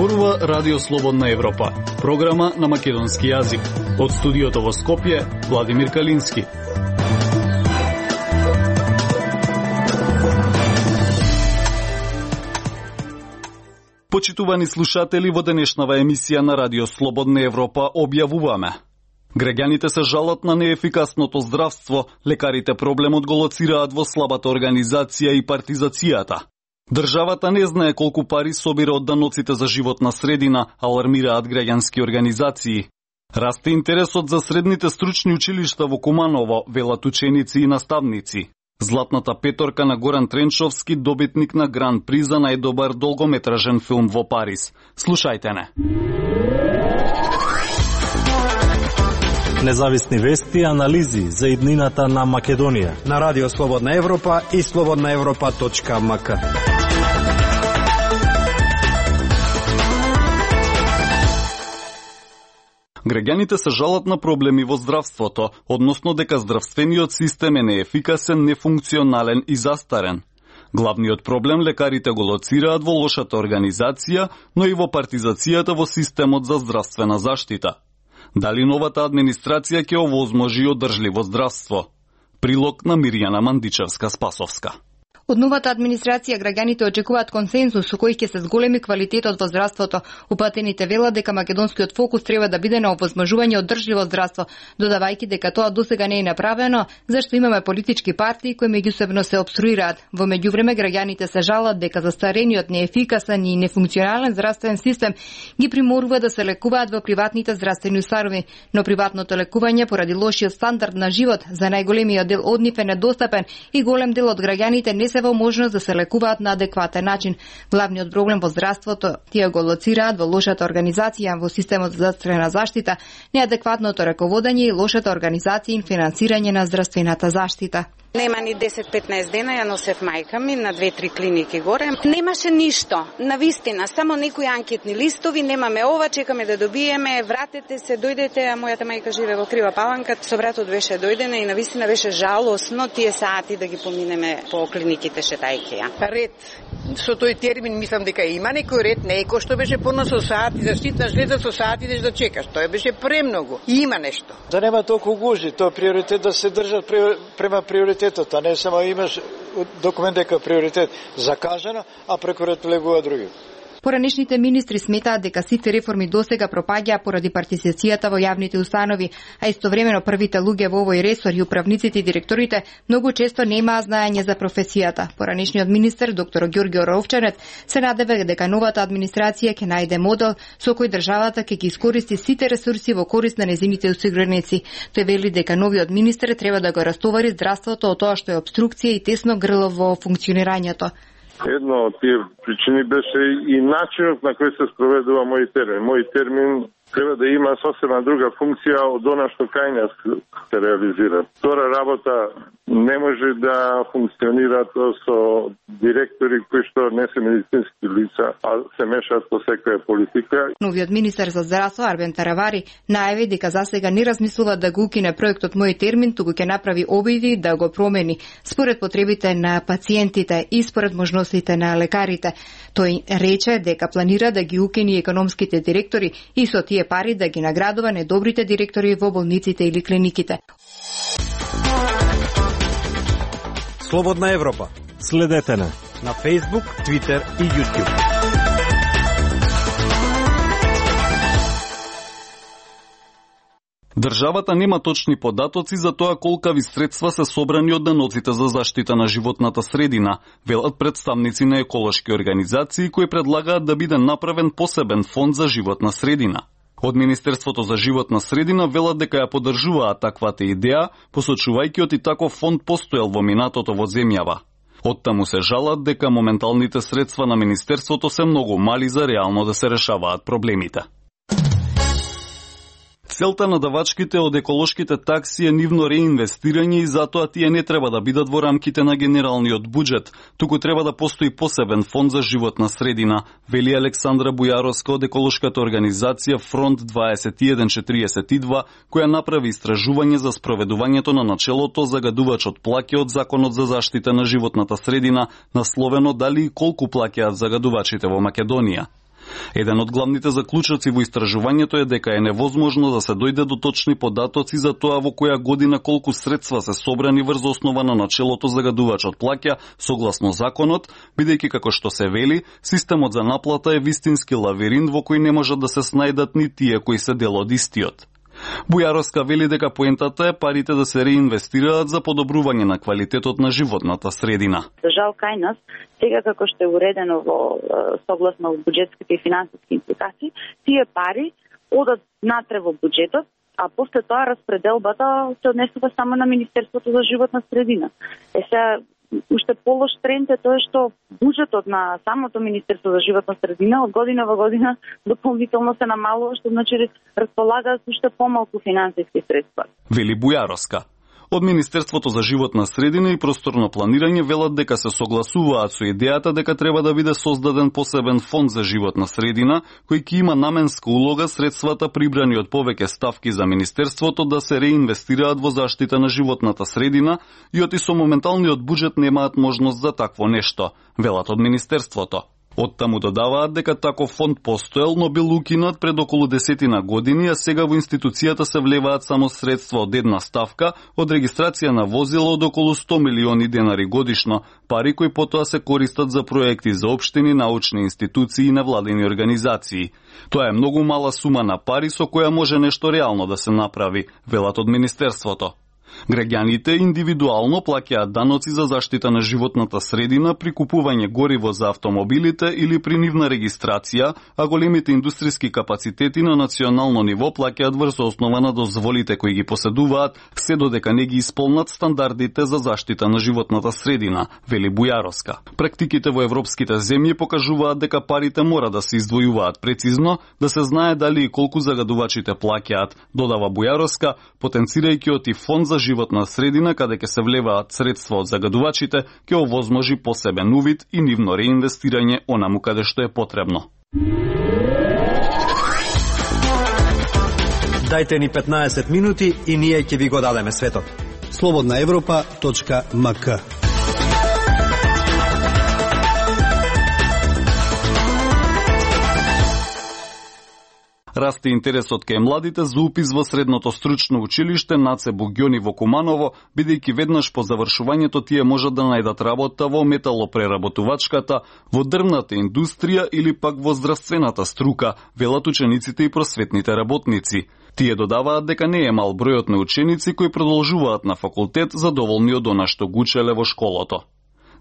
Зборува Радио Слободна Европа, програма на македонски јазик. Од студиото во Скопје, Владимир Калински. Почитувани слушатели, во денешнава емисија на Радио Слободна Европа објавуваме: граѓаните се жалат на неефикасното здравство, лекарите проблемот го лоцираат во слабата организација и партизацијата. Државата не знае колку пари собира од даноците за животна средина, алармираат граѓански организации. Расте интересот за средните стручни училишта во Куманово, велат ученици и наставници. Златната петорка на Горан Тренчовски, добитник на Гран При за најдобар долгометражен филм во Париз. Слушајте не. Независни вести и анализи за иднината на Македонија на Радио Слободна Европа и slobodnaevropa.mk. Граѓаните се жалат на проблеми во здравството, односно дека здравствениот систем е неефикасен, нефункционален и застарен. Главниот проблем лекарите го лоцираат во лошата организација, но и во партизацијата во системот за здравствена заштита. Дали новата администрација ќе овозможи одржливо здравство? Прилог на Мирјана Мандичевска-Спасовска. Од новата администрација граѓаните очекуваат консензус со кој ќе се зголеми квалитетот во здравството. Упатените велат дека македонскиот фокус треба да биде на овозможување одржливо здравство, додавајќи дека тоа досега не е направено, зашто имаме политички партии кои меѓусебно се опструираат. Во меѓувреме граѓаните се жалат дека застарениот, неефикасен и нефункционален здравствен систем ги приморува да се лекуваат во приватните здравствени установи, но приватното лекување поради лошиот стандард на живот за најголемиот дел од нив е недостапен и голем дел од граѓаните не се во можност да се лекуваат на адекватен начин. Главниот проблем во здравството тие го лоцираат во лошата организација во системот за здравствена заштита, неадекватното раководење и лошата организација и финансирање на здравствената заштита. Нема ни 10-15 дена, ја носев мајка ми на 2-3 клиники горе. Немаше ништо, навистина, само некои анкетни листови, немаме ова, чекаме да добиеме, вратете се, дојдете, а мојата мајка живе во Крива Паланка, со братот беше дојдена и навистина беше жалосно тие сати да ги поминеме по клиниките шетајќи ја. Ред, со тој термин мислам дека има некој ред, не е кој што беше порано со сати, заштитна жлеза со сати идеш да чекаш, тоа беше премногу. Има нешто. Да нема толку гужи, тоа приоритет да се држат према приоритет. А не само имаш документ дека приоритет закажано, а преку ред легува други. Поранешните министри сметаат дека сите реформи досега пропаѓаа поради партизацијата во јавните установи, а истовремено првите луѓе во овој ресор и управниците и директорите многу често немаа знаење за професијата. Поранешниот министер доктор Ѓорѓе Ровчанец се надева дека новата администрација ќе најде модел со кој државата ќе ги искористи сите ресурси во корист на нејзините осигуреници. Тој вели дека новиот министер треба да го растовари здравството од тоа што е обструкција и тесно грло во функционирањето. Едно од тие причини беше и начинот на кој се спроведува мој термин. Мој термин треба да има сосема друга функција од она што кај нас се реализира. Втора работа не може да функционира со директори кои што не се медицински лица, а се мешаат со секоја политика. Новиот министер за здравство Арбен Таравари најави дека засега не размислува да го укине проектот Мој термин, туку ќе направи обиди да го промени според потребите на пациентите и според можностите на лекарите. Тој рече дека планира да ги укини економските директори и со тие пари да ги наградува недобрите директори во болниците или клиниките. Слободна Европа. Следете на Facebook, Twitter и YouTube. Државата нема точни податоци за тоа колкави средства се собрани од даноците за заштита на животната средина, велат представници на еколошки организации кои предлагаат да биде направен посебен фонд за животна средина. Од Министерството за животна средина велат дека ја поддржуваат таквата идеја, посочувајќи од и таков фонд постоел во минатото во земјава. Оттаму се жалат дека моменталните средства на Министерството се многу мали за реално да се решаваат проблемите. Целта на давачките од еколошките такси е нивно реинвестирање и затоа тие не треба да бидат во рамките на генералниот буџет, туку треба да постои посебен фонд за животна средина, вели Александра Бујаровска од еколошката организација Фронт 2142, која направи истражување за спроведувањето на начелото загадувачот плаќа од Законот за заштита на животната средина, насловено дали и колку плаќаат загадувачите во Македонија. Еден од главните заклучоци во истражувањето е дека е невозможно да се дојде до точни податоци за тоа во која година колку средства се собрани врз основа на начелото загадувачот плаќа согласно законот, бидејќи како што се вели, системот за наплата е вистински лавиринт во кој не можат да се снајдат ни тие кои се дел од истиот. Бујаровска вели дека поентата е парите да се реинвестираат за подобрување на квалитетот на животната средина. Жал кај нас, сега како што е уредено во согласно буџетските и финансиски импликации, тие пари одат натре во буџетот, а после тоа распределбата се однесува само на Министерството за животна средина. Сега уште полош тренд е тоа што буџетот на самото Министерство за животна средина од година во година дополнително се намалува, што значи располагаат уште помалку финансиски средства. Вели Бујаровска. Од Министерството за животна средина и просторно планирање велат дека се согласуваат со идејата дека треба да биде создаден посебен фонд за животна средина, кој ќе има наменска улога средствата прибрани од повеќе ставки за Министерството да се реинвестираат во заштита на животната средина и оти со моменталниот буџет немаат можност за такво нешто, велат од Министерството. Оттаму додаваат дека таков фонд постоел, но бил укинат пред околу 10 години, а сега во институцијата се влеваат само средства од една ставка од регистрација на возила од околу 100 милиони денари годишно, пари кои потоа се користат за проекти за општини, научни институции и невладени организации. Тоа е многу мала сума на пари со која може нешто реално да се направи, велат од Министерството. Граѓаните индивидуално плаќаат даноци за заштита на животната средина при купување гориво за автомобилите или при нивна регистрација, а големите индустријски капацитети на национално ниво плаќаат врз основа на дозволите кои ги поседуваат, се додека не ги исполнат стандардите за заштита на животната средина, вели Бујаровска. Практиките во европските земји покажуваат дека парите мора да се издвојуваат прецизно, да се знае дали и колку загадувачите плаќаат, додава Бујаровска, потенцирајќи оти фонд за животна средина каде ќе се влеваат средства од загадувачите, ќе овозможи посебен увид и нивно реинвестирање онаму каде што е потребно. Дајте ни 15 минути и ние ќе ви го дадеме светот. slobodnaevropa.mk. Расте интересот кај младите за упис во средното стручно училиште Наце Буѓони во Куманово, бидејќи веднаш по завршувањето тие можат да најдат работа во металопреработувачката, во дрвната индустрија или пак во здравствената струка, велат учениците и просветните работници. Тие додаваат дека не е мал бројот на ученици кои продолжуваат на факултет задоволни од она што го учеле во школото.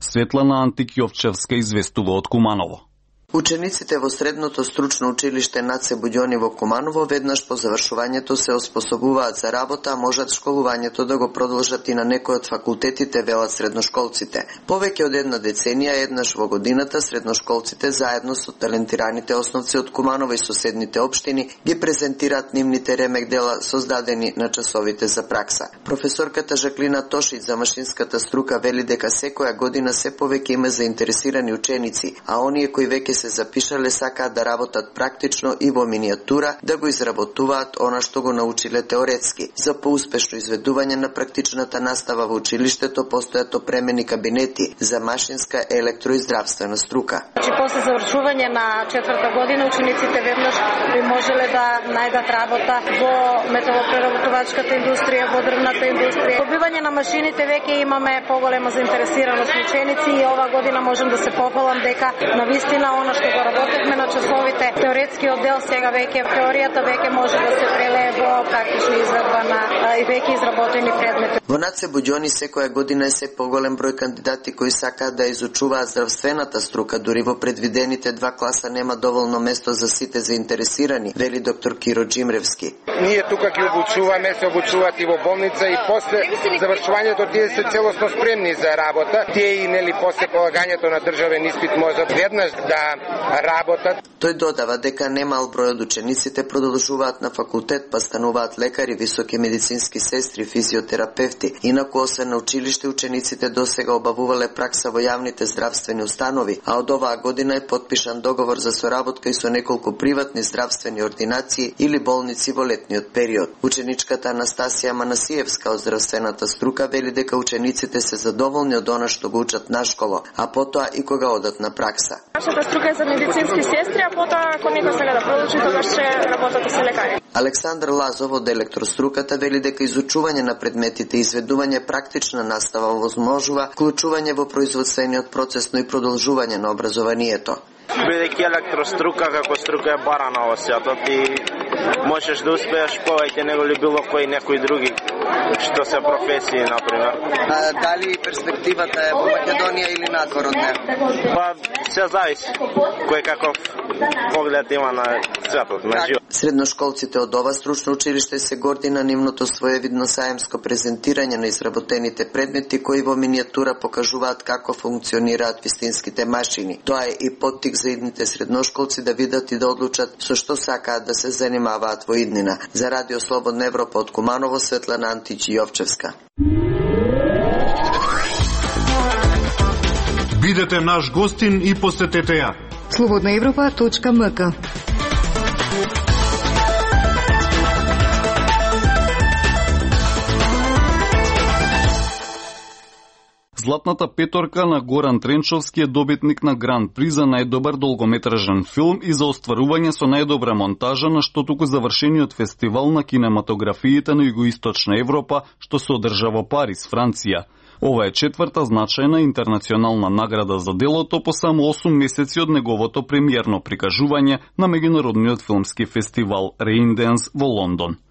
Светлана Антикјовчевска известува од Куманово. Учениците во средното стручно училиште Наце Буѓони во Куманово веднаш по завршувањето се оспособуваат за работа, а можат школувањето да го продолжат и на некој од факултетите, велат средношколците. Повеќе од една деценија, еднаш во годината, средношколците заедно со талентираните основци од Куманово и соседните општини ги презентираат нивните ремек дела создадени на часовите за пракса. Професорката Жаклина Тошиć за машинската струка вели дека секоја година се повеќе има заинтересирани ученици, а оние кои веќе се запишале сакаат да работат практично и во минијатура, да го изработуваат она што го научиле теоретски. За поуспешно изведување на практичната настава во училиштето постојат опремени кабинети за машинска, електро и здравствена струка. После завршување на 4-та година учениците веднаш би можеле да најдат работа во металопреработувачката индустрија, во дрвната индустрија. Добивање на машините веќе имаме поголема заинтересираност ученици и ова година можам да се похвалам дека навистина она што го работевме на часовите теоретскиот дел, сега веќе теоријата веќе може да се прелее во практична изведба на и веќе изработени предмети. Во Наце Буѓони секоја година е се поголем број кандидати кои сакаат да изучуваат здравствената струка, дури во предвидените 2 класа нема доволно место за сите заинтересирани, вели доктор Киро Джимревски. Ние тука ги обучуваме, се обучуваат и во болница и после завршувањето тие се целосно спремни за работа. Тие и нели после полагањето на државен испит можат веднаш да работат. Тој додава дека немал број од учениците продолжуваат на факултет, па стануваат лекари, високи медицински сестри, физиотерапевти. Инаку освен на училиште, учениците досега обавувале пракса во јавните здравствени установи, а од оваа година е потпишан договор за соработка и со неколку приватни здравствени ординации или болници во летниот период. Ученичката Анастасија Манасиевска од здравствената струка вели дека учениците се задоволни од она што го учат на школа, а потоа и кога одат на пракса. нашата струка е за медицински сестри, а потоа ако некој сега да продолжи, тогаш ќе работат и се лекари. Александар Лазов од електроструката вели дека изучување на предметите и изведување практична настава возможува вклучување во производствениот процес, но и продолжување на образованието. Бидејќи електрострука како струка е барана во светот и можеш да успееш повеќе него ли било кој некој други што се професии, например. Дали перспективата е во Македонија или надвор од неа? Па се зависи кој каков поглед има на светот, на живот. Средношколците од ова стручно училиште се горди на нивното своевидно саемско презентирање на изработените предмети кои во минијатура покажуваат како функционираат вистинските машини. Тоа е и поттик за идните средношколци да видат и да одлучат со што сакаат да се занимаваат во иднина. За Радио Слободна Европа од Куманово, Светлана Античи Јовчевска. Бидете наш гостин и посетете ја. slobodnaevropa.mk. Златната петорка на Горан Тренчовски е добитник на Гран При за најдобар долгометражен филм и за остварување со најдобра монтажа на што туку завршениот фестивал на кинематографиите на Југоисточна Европа, што се одржа во Париз, Франција. Ова е четврта значајна интернационална награда за делото по само 8 месеци од неговото премиерно прикажување на меѓународниот филмски фестивал Reyndance во Лондон.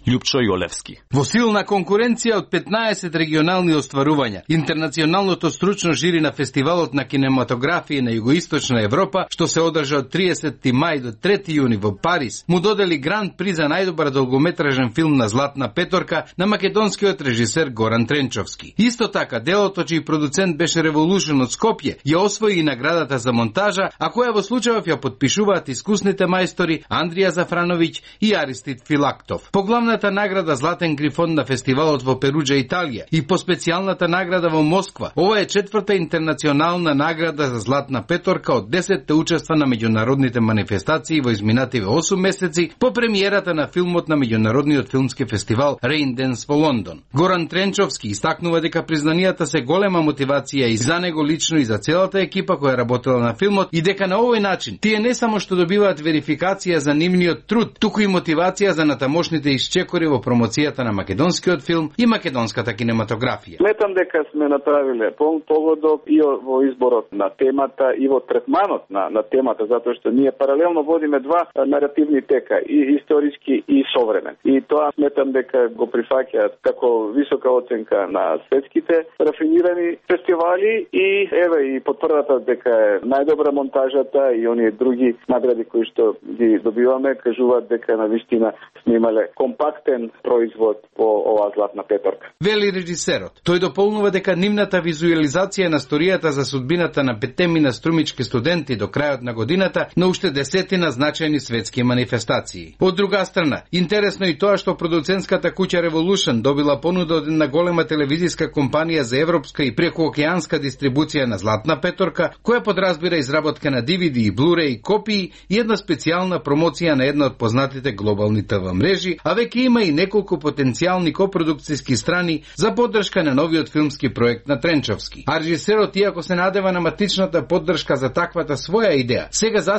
Љупчо Јолевски. Во силна конкуренција од 15 регионални остварувања, интернационалното стручно жири на фестивалот на кинематографија на Југоисточна Европа, што се одржа од 30 мај до 3 јуни во Париз, му додели Гран При за најдобар долгометражен филм на Златна петорка на македонскиот режисер Горан Тренчовски. Исто така, делото чиј продуцент беше Revolution од Скопје, ја освои и наградата за монтажа, а која во случајов ја потпишуваат искусните мајстори Андрија Зафрановиќ и Аристид Филактов. По главната награда Златен грифон на фестивалот во Перуџа, Италија и по специјалната награда во Москва. Ова е четврта интернационална награда за Златна петорка од 10 учества на меѓународните манифестации во изминативе 8 месеци по премиерата на филмот на меѓународниот филмски фестивал Reyndance во Лондон. Горан Тренчовски истакнува дека признанијата се голема мотивација и за него лично и за целата екипа која работела на филмот и дека на овој начин тие не само што добиваат верификација за нивниот труд, туку и мотивација за натамошните исчекори во промоцијата на македонскиот филм и македонската кинематографија. Сметам дека сме направиле полн погодок и во изборот на темата и во третманот на темата, затоа што ние паралелно водиме два наративни тека, и историски и современ. И тоа сметам дека го прифаќаат како висока оценка на светските рафинирани фестивали и еве и потврдата дека е најдобра монтажата и оние други награди кои што ги добиваме кажуваат дека навистина сме имале компактен производ по оваа Златна петорка. Вели режисерот. Тој дополнува дека нивната визуализација на сторијата за судбината на 5 струмички студенти до крајот на годината на уште 10 значајни светски манифестации. Од друга страна, интересно и тоа што продуцентската куќа Revolution добила понуда од една голема телевизиска компанија за европска и прекуокеанска дистрибуција на Златна петорка, која подразбира изработка на DVD и Blu-ray копии и една специјална промоција на една од познатите глобални ТВ мрежи, а веќе има и неколку потенцијални копродукцијски страни за поддршка на новиот филмски проект на Тренчовски. А режисерот, иако се надева на матичната поддршка за таквата своја идеја,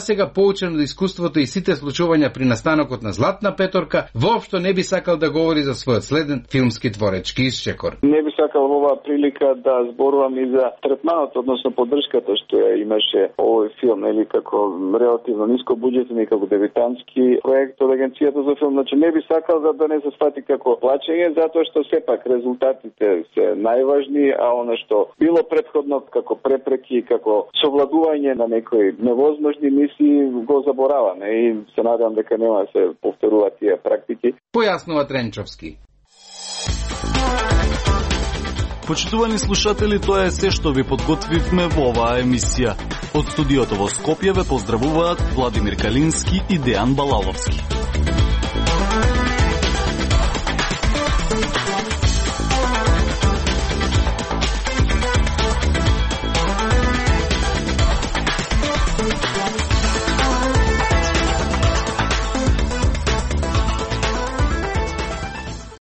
сега поучен од искуството и сите случувања при настанокот на Златна петорка, воопшто не би сакал да говори за својот следен филмски творечки исчекор. Не би сакал во оваа прилика да зборувам и за третманот, односно поддршката што ја имаше овој филм, или како релативно ниско буџетен и како дебитантски проект од агенцијата за филм. Значи не би сакал да не се свати како плачење, затоа што сепак резултатите се најважни, а она што било претходно како препреки, како совладување на некои невозможни мисии го забораваме и се надевам дека нема да се повторуваат тие практики. Појаснува Тренчовски. Почитувани слушатели, тоа е се што ви подготвивме во оваа емисија. Од студиото во Скопје ве поздравуваат Владимир Калински и Дејан Балаловски.